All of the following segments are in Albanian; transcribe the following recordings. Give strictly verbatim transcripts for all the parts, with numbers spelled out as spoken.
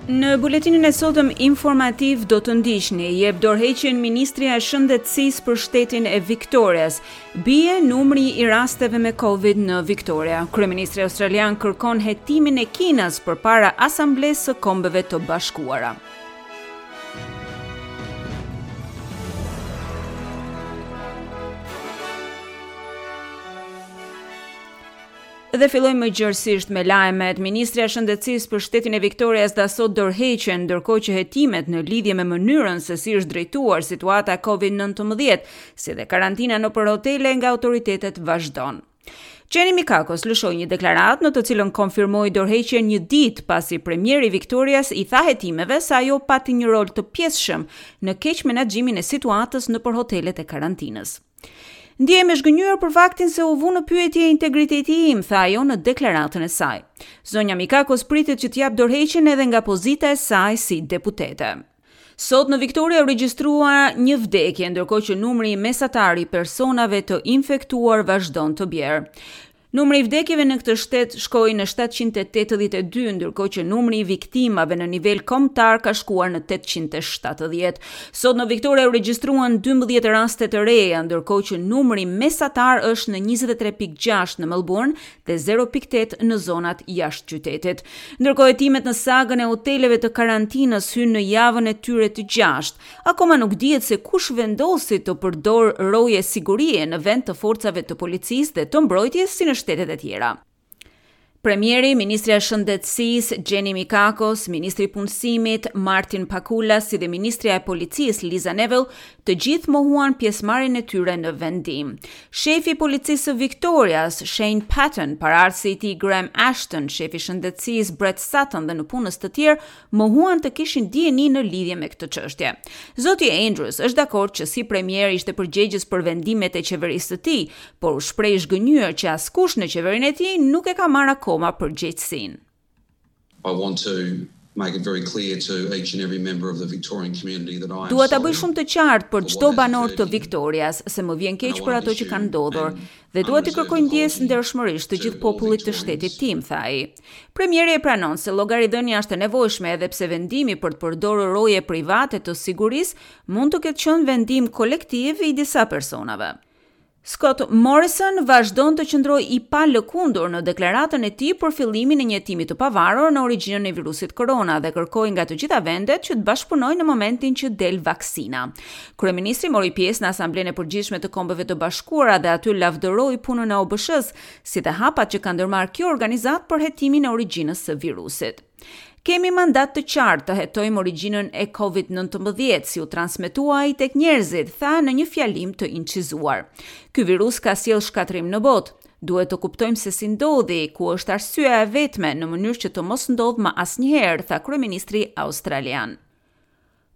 Në buletinin e sotëm informativ do të ndiqni, jep dorëheqjen Ministria e Shëndetësisë për shtetin e Victorias. Bie numri i rasteve me Covid në Victoria. Kryeministri australian kërkon hetimin e Kinës përpara Asamblesë së Kombeve të Bashkuara. Dhe fillojmë më gjërësisht me lajmet. Ministria e Shëndetësisë për shtetin e Victorias dha sot dorëheqjen, ndërkohë që hetimet në lidhje me mënyrën se si është drejtuar situata e Covid nëntëmbëdhjetë, si dhe karantina nëpër hotele nga autoritetet vazhdon. Jenny Mikakos lëshoi një deklaratë në të cilën konfirmoi dorëheqjen një ditë pasi premieri Victorias i tha hetimeve se ajo pati një rol të pjesshëm në keq menaxhimin e situatës nëpër hotelet e karantinës. "Ndihem e zhgënjyer për faktin se u vu në pyetje integriteti im", tha ajo në deklaratën e saj. Zonja Mikakos pritet që të jap dorëheqjen edhe nga pozita e saj si deputete. Sot në Victoria u regjistrua një vdekje, ndërkohë që numri mesatar i personave të infektuar vazhdon të bjerë. Numri i vdekjeve në këtë shtet shkoi në shtatëqind e tetëdhjetë e dy, ndërkohë që numri i viktimave në nivel kombëtar ka shkuar në tetëqind e shtatëdhjetë. Sot në Victoria u regjistruan dymbëdhjetë raste të reja, ndërkohë që numri mesatar është në njëzet e tre pikë gjashtë në Melbourne dhe zero pikë tetë në zonat jashtë qytetit. Ndërkohë, hetimet në sagën e hoteleve të karantinës hynë në javën e tyre të gjashtë. Akoma nuk dihet se kush vendosi të përdor roje sigurie në vend të forcave të policisë dhe të mbrojtjes si në shtetet e tjera. Premieri, Ministrja e Shëndetësisë, Jenny Mikakos, Ministri i Punësimit, Martin Pakula, si dhe Ministrja e Policisë, Liza Neville, të gjithë mohuan pjesëmarrjen e tyre në vendim. Shefi i Policisë së Victorias, Shane Patton, paraardhësi i tij Graham Ashton, shefi i Shëndetësisë Brett Sutton dhe nëpunës të tjerë mohuan të kishin dijeni në lidhje me këtë çështje. Zoti Andrews është dakord që si premier ishte përgjegjës për vendimet e qeverisë së tij, por u shpreh i zhgënjyer që askush në qeverinë e tij nuk e ka marrë akoma përgjegjësinë. I want to make it very clear to each and every member of the Victorian community that I am "Dua ta bëj shumë të qartë për çdo banor të Victorias se më vjen keq për ato që kanë ndodhur dhe dua t'i kërkoj ndjesë ndershmërisht të gjithë popullit të shtetit tim", tha ai. Premieri e pranon se llogaridhënia është e nevojshme, edhe pse vendimi për të përdorur roje private të sigurisë mund të ketë qenë vendim kolektiv i disa personave. Scott Morrison vazhdon të qëndrojë i palëkundur në deklaratën e tij për fillimin e një hetimi të pavarur në origjinën e virusit korona dhe kërkoi nga të gjitha vendet që të bashkëpunojnë në momentin që del vaksina. Kryeministri mori pjesë në Asamblenë e Përgjithshme të Kombeve të Bashkuara dhe aty lavdëroi punën e O B SH-s, si dhe hapat që ka ndërmarrë kjo organizatë për hetimin e origjinës së virusit. "Kemi mandat të qartë të hetojmë origjinën e Covid nëntëmbëdhjetë, si u transmetua ai tek njerëzit", tha në një fjalim të incizuar. "Ky virus ka sjellë shkatërrim në botë. Duhet të kuptojmë se si ndodhi, ku është arsyeja e vetme, në mënyrë që të mos ndodhë më asnjëherë", tha kryeministri australian.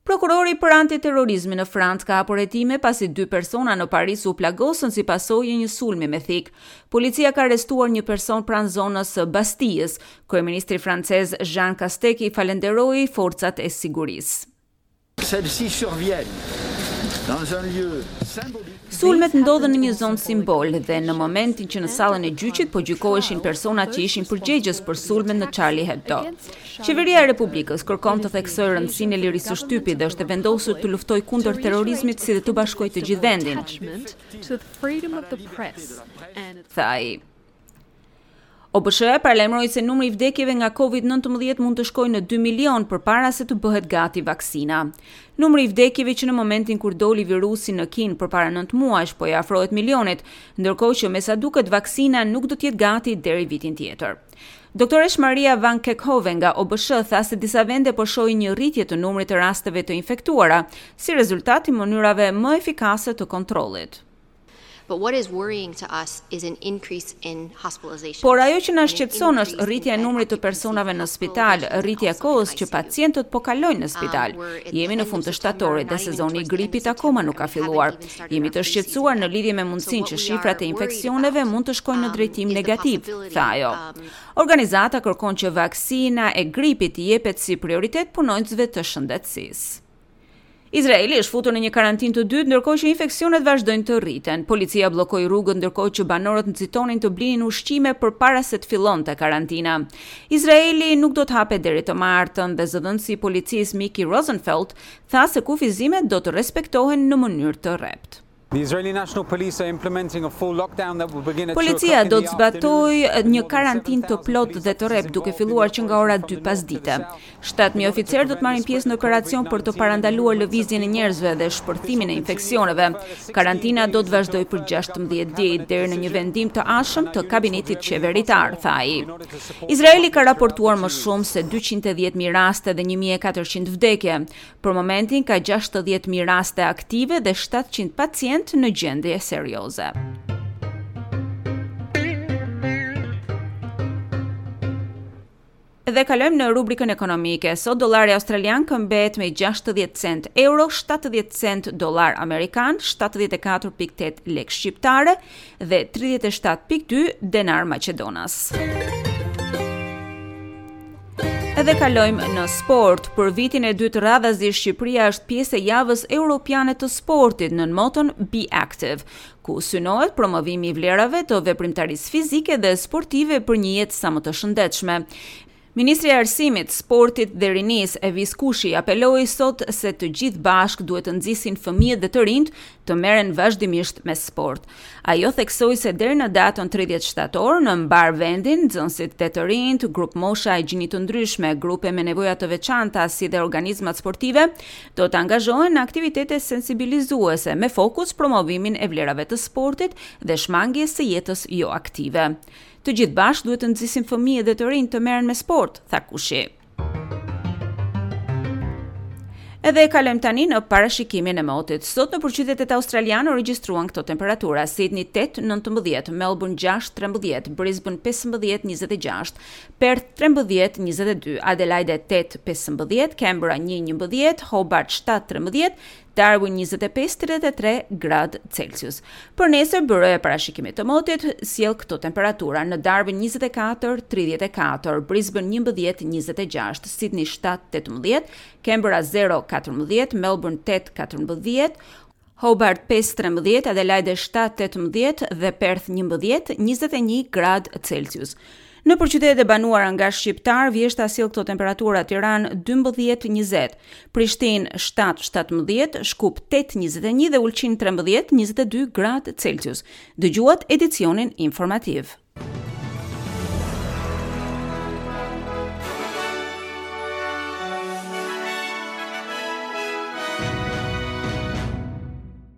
Prokurori për antiterrorizmin në Francë ka hapur hetime pasi dy persona në Paris u plagosën si pasojë e një sulmi me thikë. Policia ka arrestuar një person pranë zonës së Bastijës. Kryeministri francez Jean Castex i falenderoi forcat e sigurisë. Celles-ci surviennent dans un lieu symbolique. Sulmet ndodhën në një zonë simbol dhe në momentin që në sallën e gjyqit po gjykoheshin personat që ishin përgjegjës për sulmet në Charlie Hebdo. Qeveria e Republikës kërkon të theksojë rëndësinë e lirisë së shtypit dhe është e vendosur të luftojë kundër terrorizmit, si dhe të bashkojë të gjithë vendin, tha ai. O B SH paralajmëroi se numri i vdekjeve nga Covid nëntëmbëdhjetë mund të shkojë në dy milion përpara se të bëhet gati vaksina. Numri i vdekjeve që në momentin kur doli virusi në Kinë përpara nëntë muajsh po i afrohet milionit, ndërkohë që me sa duket vaksina nuk do të jetë gati deri vitin tjetër. Doktoresh Maria Van Kerkhove nga O B SH tha se disa vende po shohin një rritje të numrit të rasteve të infektuara si rezultat i mënyrave më efikase të kontrollit. But what is worrying to us is an increase in hospitalization. "Por ajo që na shqetëson është rritja e numrit të personave në spital, rritja e kohës që pacientët po kalojnë në spital. Jemi në fund të shtatorit dhe sezoni i gripit akoma nuk ka filluar. Jemi të shqetësuar në lidhje me mundësinë që shifrat e infeksioneve mund të shkojnë në drejtim negativ", tha ajo. Organizata kërkon që vaksina e gripit të jepet si prioritet punonjësve të shëndetësisë. Izraeli është futur në një karantinë të dytë ndërkohë që infeksionet vazhdojnë të rriten. Policia bllokoi rrugët ndërkohë që banorët nxitonin të blinin ushqime përpara se të fillonte karantina. Izraeli nuk do të hapet deri të martën dhe zëdhënësi i policisë Mickey Rosenfeld tha se kufizimet do të respektohen në mënyrë të rreptë. The Israeli National Police are implementing a full lockdown that will begin at Policia do të zbatojë një karantinë të plotë dhe të rreptë duke filluar që nga ora dy pasdite. shtatë mijë oficerë do të marrin pjesë në operacion për të parandaluar lëvizjen e njerëzve dhe shpërthimin e infeksioneve. Karantina do të vazhdojë për gjashtëmbëdhjetë ditë deri në një vendim të ardhshëm të kabinetit qeveritar, tha ai. Izraeli ka raportuar më shumë se dyqind e dhjetë mijë raste dhe një mijë e katërqind vdekje. Për momentin ka gjashtëdhjetë mijë raste aktive dhe shtatëqind pacientë në gjendje serioze. Dhe kalojmë në rubrikën ekonomike. Sot dollari australian këmbet me gjashtëdhjetë cent euro, shtatëdhjetë cent dollar amerikan, shtatëdhjetë e katër pikë tetë lek shqiptare dhe tridhjetë e shtatë pikë dy denar maqedonas. Edhe kalojmë në sport. Për vitin e dytë radhazi Shqipëria është pjesë e javës europiane të sportit nën moton Be Active, ku synohet promovimi i vlerave të veprimtarisë fizike dhe sportive për një jetë sa më të shëndetshme. Ministri i Arsimit, Sportit dhe Rinisë, Evis Kushi, apeloi sot se të gjithë bashkë duhet të nxisin fëmijët dhe të rinjt të merren vazhdimisht me sport. Ajo theksoi se deri në datën tridhjetë shtator në mbar vendin, nxënësit dhe të rinjt, grup mosha e gjini të ndryshme, grupe me nevoja të veçanta si dhe organizmat sportive do të angazhohen në aktivitete sensibilizuese me fokus promovimin e vlerave të sportit dhe shmangjes së jetës jo aktive. Të gjithë bashkë duhet të nxisim fëmijët dhe të rinjt të merren me sport, tha Kushi. Edhe kalojmë tani në parashikimin e motit. Sot në përqytetet australiane u regjistruan këto temperatura: Sydney tetë nëntëmbëdhjetë, Melbourne gjashtë trembëdhjetë, Brisbane pesëmbëdhjetë njëzet e gjashtë, Perth trembëdhjetë njëzet e dy, Adelaide tetë pesëmbëdhjetë, Canberra një njëmbëdhjetë, Hobart shtatë trembëdhjetë, Darwin njëzet e pesë tridhjetë e tre gradë Celsius. Për nesër, byroja e parashikimit të motit sjell këto temperatura: në Darwin njëzet e katër tridhjetë e katër, Brisbane njëmbëdhjetë njëzet e gjashtë, Sydney shtatë tetëmbëdhjetë, Canberra zero katërmbëdhjetë, Melbourne tetë katërmbëdhjetë, Hobart pesë trembëdhjetë, Adelaide shtatë tetëmbëdhjetë dhe Perth njëmbëdhjetë njëzet e një gradë Celsius. Në përqytetet e banuara nga shqiptar, vjeshta sjell këto temperatura: Tiranë dymbëdhjetë njëzet, Prishtinë shtatë shtatëmbëdhjetë, Shkup tetë njëzet e një dhe Ulqin trembëdhjetë njëzet e dy gradë Celsius. Dëgjuat edicionin informativ.